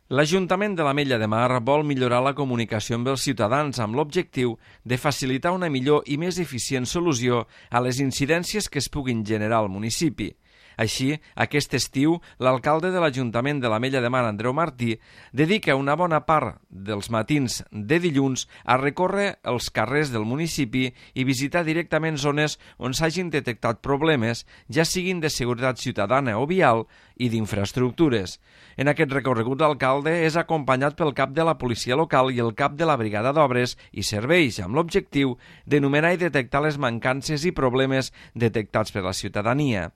L'Ajuntament de l'Ametlla de Mar vol millorar la comunicació amb els ciutadans amb l'objectiu de facilitar una millor i més eficient solució a les incidències que es puguin generar al municipi. Així, aquest estiu, l'alcalde de l'Ajuntament de l'Ametlla de Mar, Andreu Martí, dedica una bona part dels matins de dilluns a recórrer els carrers del municipi i visitar directament zones on s'hagin detectat problemes, ja siguin de seguretat ciutadana o vial i d'infraestructures. En aquest recorregut, l'alcalde és acompanyat pel cap de la policia local i el cap de la brigada d'obres i serveis, amb l'objectiu d'enumerar i detectar les mancances i problemes detectats per la ciutadania.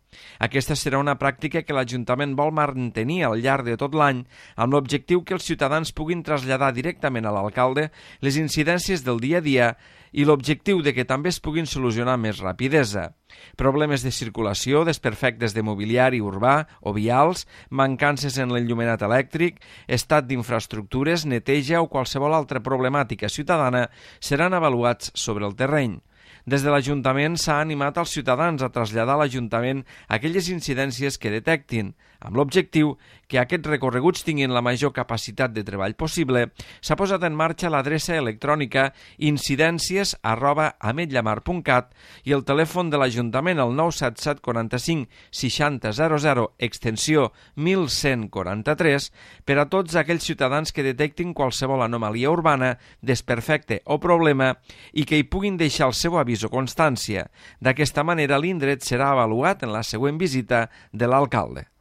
Aquesta serà una pràctica que l'Ajuntament vol mantenir al llarg de tot l'any, amb l'objectiu que els ciutadans puguin traslladar directament a l'alcalde les incidències del dia a dia i l'objectiu de que també es puguin solucionar amb més rapidesa. Problemes de circulació, desperfectes de mobiliari urbà o vials, mancances en l'enllumenat elèctric, estat d'infraestructures, neteja o qualsevol altra problemàtica ciutadana seran avaluats sobre el terreny. Des de l'Ajuntament s'ha animat als ciutadans a traslladar a l'Ajuntament aquelles incidències que detectin. Amb l'objectiu que aquests recorreguts tinguin la major capacitat de treball possible, s'ha posat en marxa l'adreça electrònica incidències@ametllamar.cat i el telèfon de l'Ajuntament al 977 45 60 00 extensió 1143 per a tots aquells ciutadans que detectin qualsevol anomalia urbana, desperfecte o problema i que hi puguin deixar el seu avís o constància. D'aquesta manera, l'indret serà avaluat en la següent visita de l'alcalde.